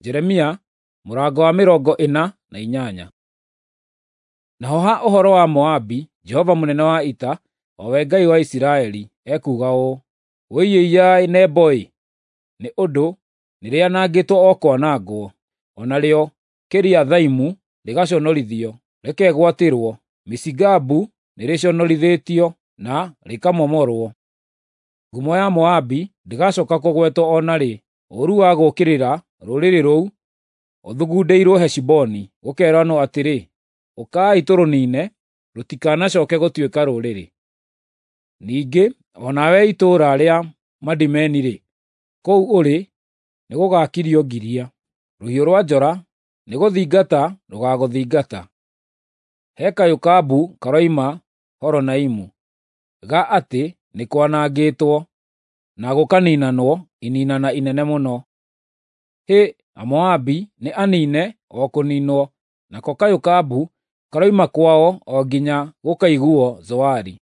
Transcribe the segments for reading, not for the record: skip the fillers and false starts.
Jeremia mũrango wa 48. Naho ha ũhoro wa Moabi, Jehova mũnene wa ita, o we Ngai wa Isiraeli, ekuuga ũũ: “Wũi-ĩiya-ĩ Nebo-ĩ! Nĩ ũndũ nĩrĩanangĩtwo o kwanangwo, o narĩo Kiriathaimu rĩgaconorithio, rĩkegwatĩrwo; Mishigabu nĩrĩconorithĩtio na rĩkamomorwo. Ngumo ya Moabi ndĩgacooka kũgwetwo o na rĩ. Ũũru wa gũũkĩrĩra rũrĩrĩ rũu ũthugundĩirwo Heshiboni, gũkeeranwo atĩrĩ, ‘Ũkai tũrũniine, rũtikanacooke gũtuĩka rũrĩrĩ.’ Ningĩ o nawe itũũra rĩa Madimeni-rĩ, kũu ũrĩ nĩgũgakirio ngiria; rũhiũ rwa njora nĩgũthingata rũgaagũthingata. He kayũ ka mbu karoima Horonaimu, ga atĩ nĩ kwanangĩtwo, na gũkaniinanwo ininana inene mũno. Hĩ, Amoabi nĩ aniine o kũniinwo, nako kayũ ka mbu karoima kwao o nginya gũkaiguuo Zoari.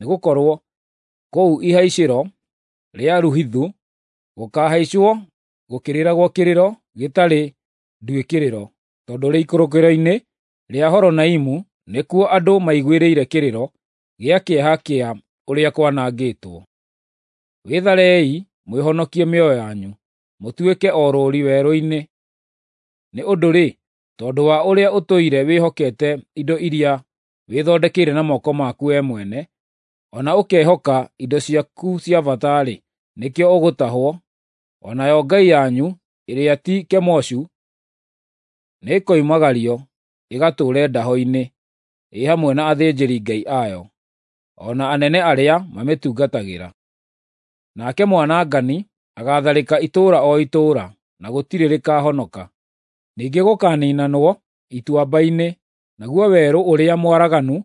Nĩgũkorwo kũu ihaicĩro rĩa Luhithu gũkaahaicwo gũkĩrĩragwo kĩrĩro gĩtarĩ nduĩkĩrĩro, tondũ rĩikũrũkĩro-inĩ rĩa Horonaimu nĩkuo andũ maiguĩrĩire kĩrĩro gĩa kĩeha kĩa ũrĩa kwanangĩtwo. Wĩtharei mwĩhonokie mĩoyo yanyu, mũtuĩke orũũri werũ-inĩ. Nĩ ũndũ-rĩ, tondũ wa ũrĩa ũtũire wĩhokete indo iria wĩthondekeire na moko maku wee mwene, o na ũkehoka indo ciaku cia bata-rĩ, nĩkĩo ũgũtahwo, o nayo ngai yanyu ĩrĩa ti Kemoshu nĩĩkoimagario ĩgatũũre ndaho-inĩ, ĩ hamwe na athĩnjĩri-ngai ayo, o na anene arĩa mamĩtungatagĩra. Nake mwanangani agaatharĩka itũũra o itũũra, na gũtirĩ rĩkahonoka. Ningĩ gũkaaniinanwo ituamba-inĩ, naguo werũ ũrĩa mwaraganu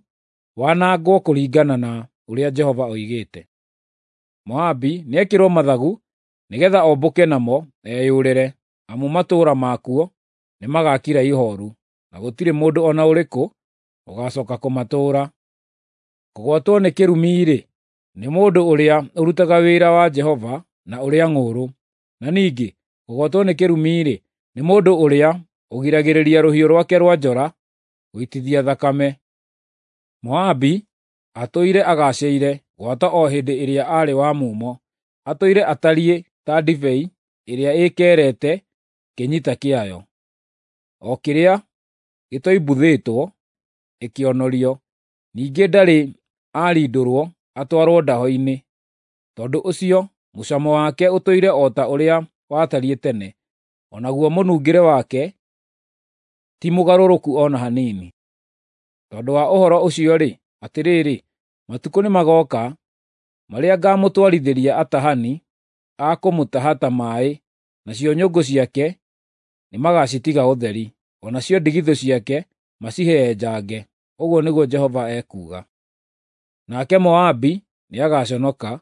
wanangwo kũringana na ũrĩa Jehova oigĩte. Moabi nĩekĩrwo mathagu nĩgeetha ombũke namo eyũrĩre, amu matũũra makuo nĩmagakira ihooru, na gũtirĩ mũndũ o na ũrĩkũ ũgaacooka kũmatũũra. Kũgwatwo nĩ kĩrumi-rĩ, nĩ mũndũ ũrĩa ũrutaga wĩra wa Jehova na ũrĩa ng'ũũrũ, na ningĩ kũgwatwo nĩ kĩrumi-rĩ, nĩ mũndũ ũrĩa ũgiragĩrĩria rũhiũ rwake rwa njora gũitithia thakame. Moabi atũire agaacĩire gwata o hĩndĩ ĩrĩa aarĩ wa mumo, atũire atariĩ ta ndibei ĩrĩa ĩĩkerete kĩnyita kĩayo, o kĩrĩa gĩtoimbuthĩtwo ĩkĩonorio, ningĩ ndarĩ aarindũrwo atwarwo ndaho-inĩ. Tondũ ũcio mũcamo wake ũtũire o ta ũrĩa watariĩ tene, o naguo mũnungĩre wake ti mũgarũrũku o na hanini. Tondũ wa ũhoro ũcio-rĩ, atĩrĩrĩ, matukũ nĩmagooka marĩa ngaamũtwarithĩria atahani a kũmũtaha ta maaĩ, nacio nyũngũ ciake nĩmagacitiga ũtheri, o nacio ndigithũ ciake macihehenjange, ũguo nĩguo Jehova ekuuga. Nake Moabi nĩagaconoka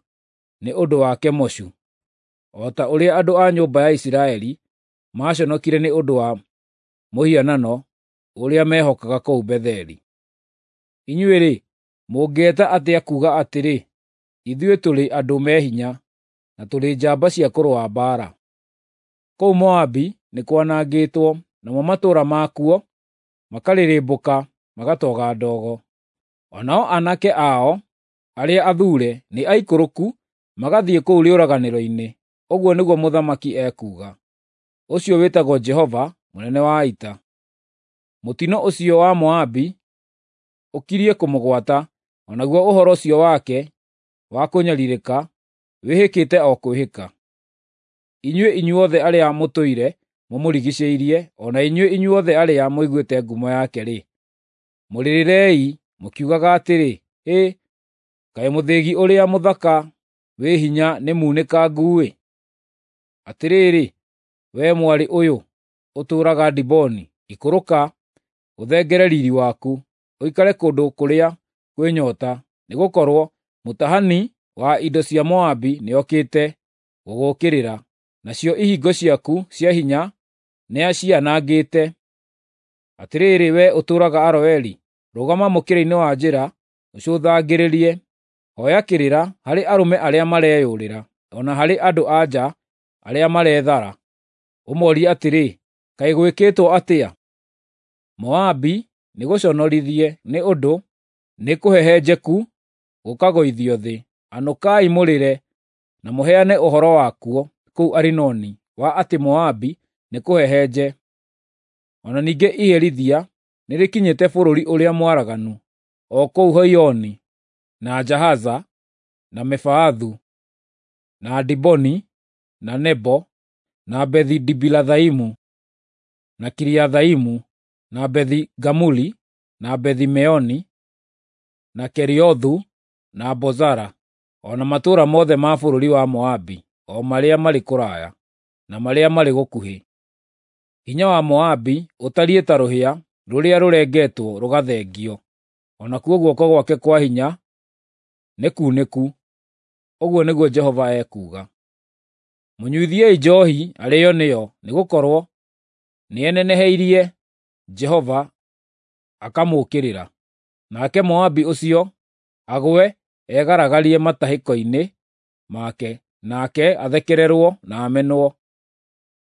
nĩ ũndũ wa Kemoshu, o ta ũrĩa andũ a nyũmba ya Isiraeli maaconokire nĩ ũndũ wa mũhianano ũrĩa mehokaga kũu Betheli. Inyuĩ-rĩ, mũngĩĩta atĩa kuuga atĩrĩ, ‘Ithuĩ tũrĩ andũ me hinya, na tũrĩ njamba cia kũrũa mbaara’? Kũu Moabi nĩ kwanangĩtwo, namo matũũra makuo makarĩrĩmbũka magatoga ndogo. O nao aanake ao arĩa athuure nĩ aikũrũku magathiĩ kũu rĩũraganĩro-inĩ, ũguo nĩguo Mũthamaki ekuuga, ũcio wĩtagwo Jehova mũnene wa ita. Mũtino ũcio wa Moabi ũkirie kũmũgwata, o naguo ũhoro ũcio wake wa kũnyariirĩka wĩhĩkĩte o kwĩhĩka. Inyuĩ inyuothe arĩa mũtũire mũmũrigiicĩirie, o na inyuĩ inyuothe arĩa mũiguĩte ngumo yake-rĩ, mũrĩrĩrei mũkiugaga atĩrĩ, ‘Hĩ, kaĩ mũthĩgi ũrĩa mũthaka wĩ hinya nĩmunĩkangu-ĩ! Atĩrĩrĩ, wee mwarĩ ũyũ ũtũũraga Diboni, ikũrũka, ũthengere riiri waku, ũikare kũndũ kũrĩa kwĩ nyoota, nĩgũkorwo mũtahani wa indo cia Moabi nĩokĩte gũgũũkĩrĩra, nacio ihingo ciaku cia hinya nĩacianangĩte. Atĩrĩrĩ, wee ũtũũraga Aroeri, rũgama mũkĩra-inĩ wa njĩra ũcũthangĩrĩrie, hooya kĩrĩra harĩ arũme arĩa mareyũrĩra, o na harĩ andũ-a-nja arĩa marethara. Ũmorie atĩrĩ, 'Kaĩ gwĩkĩtwo atĩa? Moabi nĩgũconorithie nĩ ũndũ nĩkũhehenjeku gũkagũithio thĩ. Anũkai mũrĩre, na mũheane ũhoro wakuo kũu Arinoni wa atĩ Moabi nĩkũhehenje. O na ningĩ iherithia nĩrĩkinyĩte bũrũri ũrĩa mwaraganu, o kũu Hoioni, na Jahaza, na Mefaathu, na Diboni, na Nebo, na Bethi-Dibilathaimu, na Kiriathaimu, na Bethi-Gamuli, na Bethi-Meoni, na Keriothu, na Bozara, o na matũũra mothe ma bũrũri wa Moabi, o marĩa marĩ kũraya, na marĩa marĩ gũkuhĩ. Hinya wa Moabi ũtariĩ ta rũhĩa rũrĩa rũrengetwo rũgathengio, o nakuo guoko gwake kwa hinya nĩ kunĩku, ũguo nĩguo Jehova ekuuga. Mũnyuithiei njoohi arĩĩo nĩyo, nĩgũkorwo nĩeneneheirie Jehova akamũũkĩrĩra. Nake Moabi ũcio agwe egaragarie matahĩko-inĩ make, nake athekererwo na amenwo.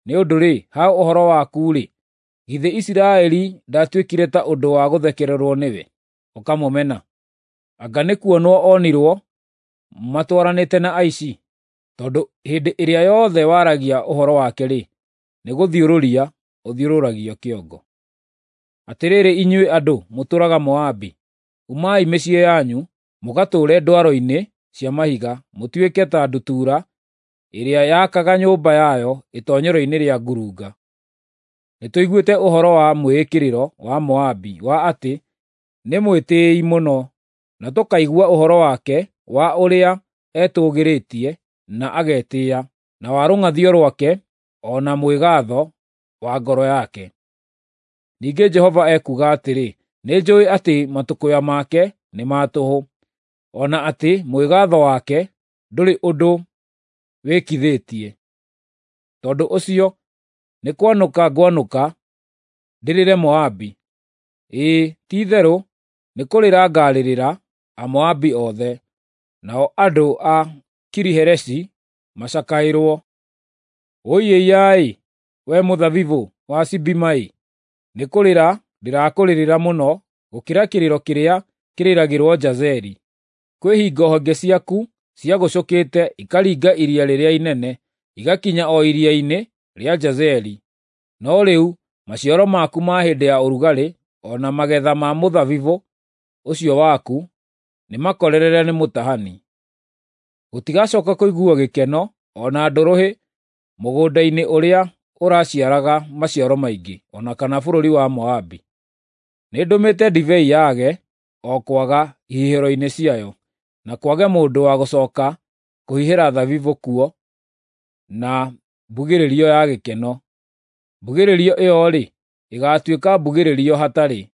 Nĩ ũndũ-rĩ, ha ũhoro waku-rĩ, githĩ Isiraeli ndaatuĩkire ta ũndũ wa gũthekererwo nĩwe, ũkamũmena? Anga nĩ kuonwo onirwo matwaranĩte na aici? Tondũ hĩndĩ ĩrĩa yothe waragia ũhoro wake-rĩ, nĩgũthiũrũria ũthiũrũragio kĩongo. Atĩrĩrĩ inyuĩ andũ mũtũũraga Moabi, umai mĩciĩ yanyu, mũgatũũre ndwaro-inĩ cia mahiga, mũtuĩke ta ndutura ĩrĩa yakaga nyũmba yayo itoonyero-inĩ rĩa ngurunga. Nĩtũiguĩte ũhoro wa mwĩĩkĩrĩro wa Moabi wa atĩ nĩ mwĩtĩĩi mũno, na tũkaigua ũhoro wake wa ũrĩa etũũgĩrĩtie na agetĩĩa, na wa rũng'athio rwake o na mwĩgaatho wa ngoro yake. Ningĩ Jehova ekuuga atĩrĩ, nĩnjũũĩ atĩ matũkũya make nĩ ma tũhũ, o na atĩ mwĩgaatho wake ndũrĩ ũndũ wĩkithĩtie. Tondũ ũcio nĩ kwanũka ngwanũka ndĩrĩre Moabi, ĩĩ ti-itherũ nĩ kũrĩra ngaarĩrĩra Amoabi othe, nao andũ a Kiri-Hereshi macakaĩrwo. Wũi-ĩiya-ĩ, wee mũthabibũ wa Sibima-ĩ! Nĩ kũrĩra ndĩrakũrĩrĩra mũno gũkĩra kĩrĩro kĩrĩa kĩrĩragĩrwo Jazeri. Kwĩ hingo honge ciaku ciagũcũkĩte ikaringa iria rĩrĩa inene, igakinya o iria-inĩ rĩa Jazeri. No rĩu maciaro maku ma hĩndĩ ya ũrugarĩ o na magetha ma mũthabibũ ũcio waku nĩmakorerere nĩ mũtahani. Gũtigacooka kũiguuo gĩkeno o na ndũrũhĩ mũgũnda-inĩ ũrĩa ũraciaraga maciaro maingĩ, o na kana bũrũri wa Moabi. Nĩndũmĩte ndibei yage o kwaga ihihĩro-inĩ ciayo, na kwage mũndũ wa gũcooka kũhihĩra thabibũ kuo na mbugĩrĩrio ya gĩkeno. Mbugĩrĩrio ĩyo-rĩ, ĩgaatuĩka mbugĩrĩrio hatarĩ.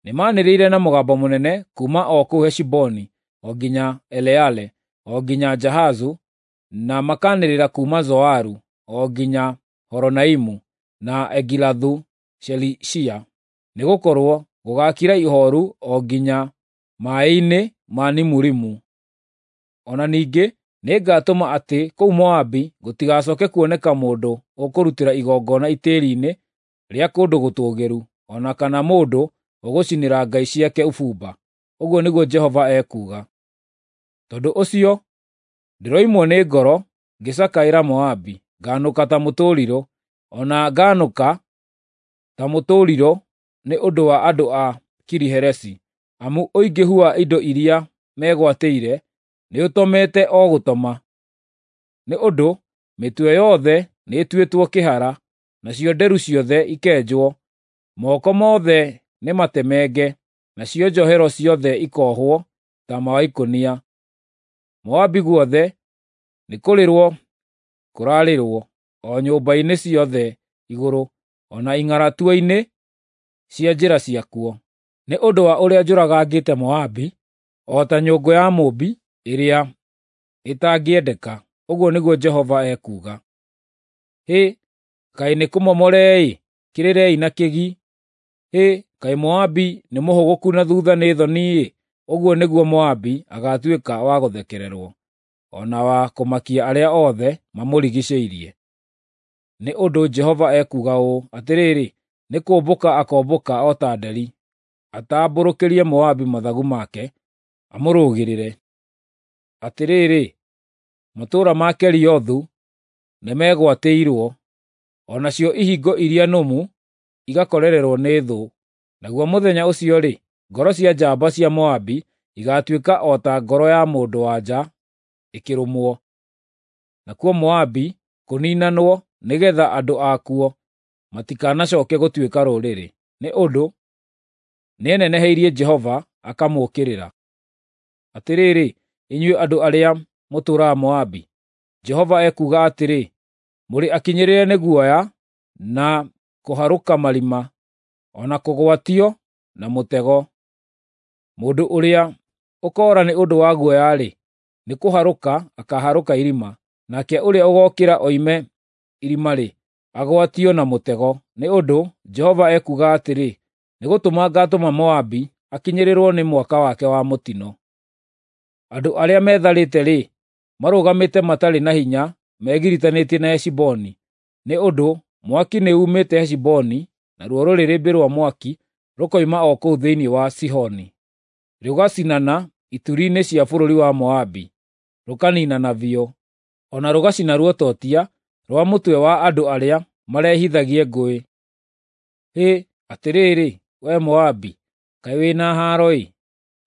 Nĩmanĩrĩire na mũgambo mũnene kuuma o kũu Heshiboni o nginya Eleale, o nginya Jahazu, na makaanĩrĩra kuuma Zoaru o nginya Horonaimu na Egilathu-Shelishiya, nĩgũkorwo gũgaakira ihooru o nginya maaĩ-inĩ ma Nimurimu. O na ningĩ nĩngatũma atĩ kũu Moabi gũtigacooke kuoneka mũndũ ũkũrutĩra igongona itĩĩri-inĩ rĩa kũndũ gũtũũgĩru, o na kana mũndũ ũgũcinĩra ngai ciake ũbumba, ũguo nĩguo Jehova ekuuga. Tondũ ũcio ndĩroimwo nĩ ngoro ngĩcakaĩra Moabi, ngaanũka ta mũtũrirũ, o na ngaanũka ta mũtũrirũ nĩ ũndũ wa andũ a Kiri-Heresi, amu ũingĩhu wa indo iria megwatĩire nĩũtomete o gũtoma. Nĩ ũndũ mĩtwe yothe nĩĩtuĩtwo kĩhara, nacio nderu ciothe ikenjwo, moko mothe nĩmatemenge, nacio njohero ciothe ikoohwo taama wa ikũnia. Moabi guothe nĩkũrĩrwo kũrarĩrwo, o nyũmba-inĩ ciothe igũrũ, o na ing'aratua-inĩ cia njĩra ciakuo, nĩ ũndũ wa ũrĩa njũragangĩte Moabi o ta nyũngũ ya mũũmbi ĩrĩa ĩtangĩendeka, ũguo nĩguo Jehova ekuuga. Hĩ, kaĩ nĩkũmomore-ĩ! Kĩrĩrei na kĩgi! Hĩ, kaĩ Moabi nĩmũhũgũku na thuutha nĩ thoni-ĩ! Ũguo nĩguo Moabi agaatuĩka wa gũthekererwo, o na wa kũmakia arĩa othe mamũrigiicĩirie. Nĩ ũndũ Jehova ekuuga ũũ, Atĩrĩrĩ, nĩ kũũmbũka akombũka o ta nderi, atambũrũkĩrie Moabi mathagu make, amũrũgĩrĩre. Atĩrĩrĩ, matũũra ma Keriothu nĩmegwatĩirwo, o nacio ihingo iria nũmu igakorererwo nĩ thũ. Naguo mũthenya ũcio-rĩ, ngoro cia njamba cia Moabi igaatuĩka o ta ngoro ya mũndũ-wa-nja ĩkĩrũmwo. Nakuo Moabi kũniinanwo nĩgeetha andũ akuo matikanacooke gũtuĩka rũrĩrĩ, nĩ ũndũ nĩeneneheirie Jehova akamũũkĩrĩra. Atĩrĩrĩ, inyuĩ andũ arĩa mũtũũraga Moabi, Jehova ekuuga atĩrĩ, mũrĩ akinyĩrĩre nĩ guoya na kũharũka marima, o na kũgwatio na mũtego. Mũndũ ũrĩa ũkoora nĩ ũndũ wa guoya-rĩ, nĩ kũharũka akaaharũka irima, nake ũrĩa ũgookĩra oime irima-rĩ, agwatio na mũtego. Nĩ ũndũ Jehova ekuuga atĩrĩ, nĩgũtũma ngaatũma Moabi akinyĩrĩrwo nĩ mwaka wake wa mũtino. Andũ arĩa metharĩte-rĩ, marũgamĩte matarĩ na hinya megiritanĩtie na Heshiboni, nĩ ũndũ mwaki nĩumĩte Heshiboni, naruo rũrĩrĩmbĩ rwa mwaki rũkoima o kũu thĩinĩ wa Sihoni. Rũgacinana ituri-inĩ cia bũrũri wa Moabi, rũkaniinana biũ, o na rũgacina ruototia rwa mũtwe wa andũ arĩa marehithagie ngũĩ. Hĩ, atĩrĩrĩ, wee Moabi, kaĩ wĩ na haaro-ĩ!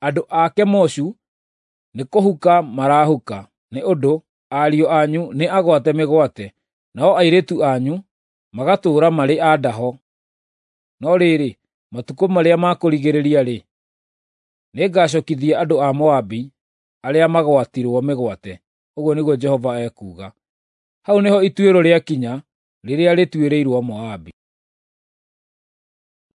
Andũ a Kemoshu nĩkũhuka marahuka, nĩ ũndũ ariũ anyu nĩ agwate mĩgwate, nao airĩtu anyu magatũũra marĩ a ndaho. No rĩrĩ, matukũ marĩa ma kũrigĩrĩria-rĩ, nĩngacookithia andũ a Moabi arĩa magwatirwo mĩgwate, ũguo nĩguo Jehova ekuuga. Hau nĩho ituĩro rĩakinya rĩrĩa rĩtuĩrĩirwo Moabi.